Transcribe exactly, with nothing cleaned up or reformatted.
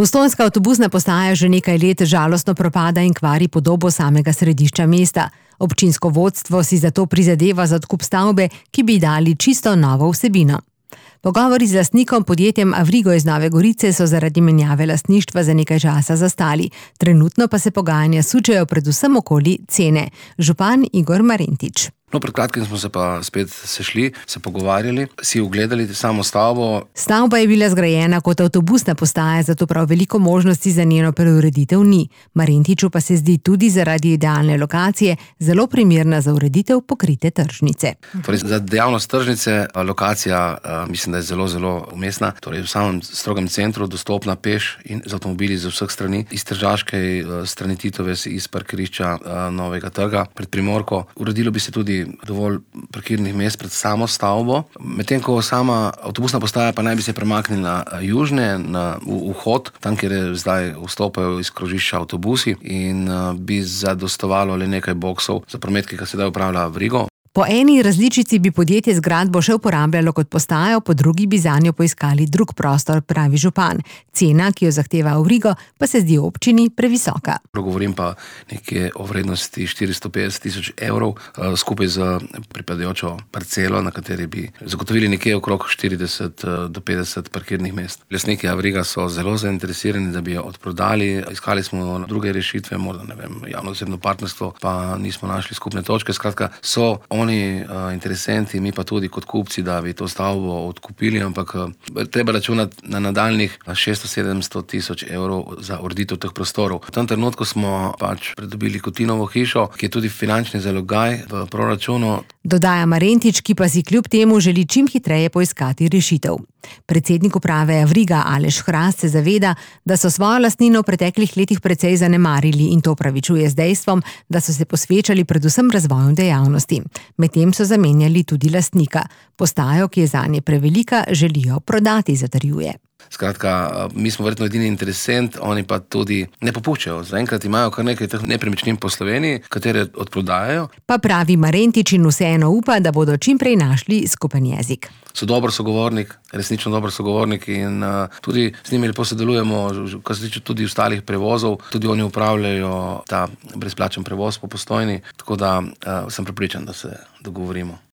Postojnska avtobusna postaja že nekaj let žalostno propada in kvari podobo samega središča mesta. Občinsko vodstvo si zato prizadeva za odkup stavbe, ki bi dali čisto novo vsebino. Pogovori z lastnikom podjetjem Avrigo iz Nove Gorice so zaradi menjave lastništva za nekaj časa zastali. Trenutno pa se pogajanja sučejo predvsem okoli cene. Župan Igor Marentič. No, pred kratkim smo se pa spet sešli, se pogovarjali, si ogledali samo stavbo. Stavba je bila zgrajena kot avtobusna postaja, zato prav veliko možnosti za njeno preureditev ni. Marentiču pa se zdi tudi zaradi idealne lokacije zelo primerna za ureditev pokrite tržnice. Torej, za dejavnost tržnice lokacija mislim, da je zelo, zelo umestna. Torej, v samem strogem centru, dostopna peš in z avtomobili z vseh strani. Iz Tržaške strani Titove, iz parkirišča Novega trga pred Primorko. Uredilo bi se tudi dovolj parkirnih mest pred samo stavbo. Medtem ko sama avtobusna postaja pa naj bi se premaknila južne na vhod, tam, kjer je zdaj vstopajo iz krožišča avtobusi in bi zadostovalo le nekaj boksov za promet, ki ga sedaj upravlja Avrigo. Po eni različici bi podjetje zgradbo še uporabljalo kot postajo, po drugi bi zanjo poiskali drug prostor, pravi župan. Cena, ki jo zahteva Avrigo, pa se zdi občini previsoka. Govorim pa nekje o vrednosti štiristo petdeset tisoč evrov, skupaj z pripadajočo parcelo, na kateri bi zagotovili nekje okrog štirideset do petdeset parkirnih mest. Lastniki Avriga so zelo zainteresirani, da bi jo odprodali. Iskali smo druge rešitve, morda ne vem, javno-zasebno partnerstvo, pa nismo našli skupne točke. Skratka, so oni uh, interesenti, mi pa tudi kot kupci, da bi to stavbo odkupili, ampak uh, treba računati na nadaljnih šeststo sedemsto tisoč evrov za ureditev teh prostorov. V tem trenutku smo pač pridobili Kotinovo hišo, ki je tudi finančni zalogaj v proračunu. Dodaja Marentič, ki pa si kljub temu želi čim hitreje poiskati rešitev. Predsednik uprave Avriga Aleš Hrast se zaveda, da so svojo lastnino v preteklih letih precej zanemarili in to opravičuje z dejstvom, da so se posvečali predvsem razvoju dejavnosti. Medtem so zamenjali tudi lastnika. Postajo, ki je zanje prevelika, želijo prodati, zatrjuje. Skratka, mi smo verjetno edini interesent, oni pa tudi ne popuščajo. Zaenkrat imajo kar nekaj teh nepremičnin po Sloveniji, katere odprodajajo. Pa pravi Marentič in vseeno upa, da bodo čim prej našli skupen jezik. So dober sogovornik, resnično dober sogovornik in uh, tudi z njimi lepo sodelujemo, kar se tiče tudi ostalih prevozov. Tudi oni upravljajo ta brezplačen prevoz po Postojni, tako da uh, sem prepričan, da se dogovorimo.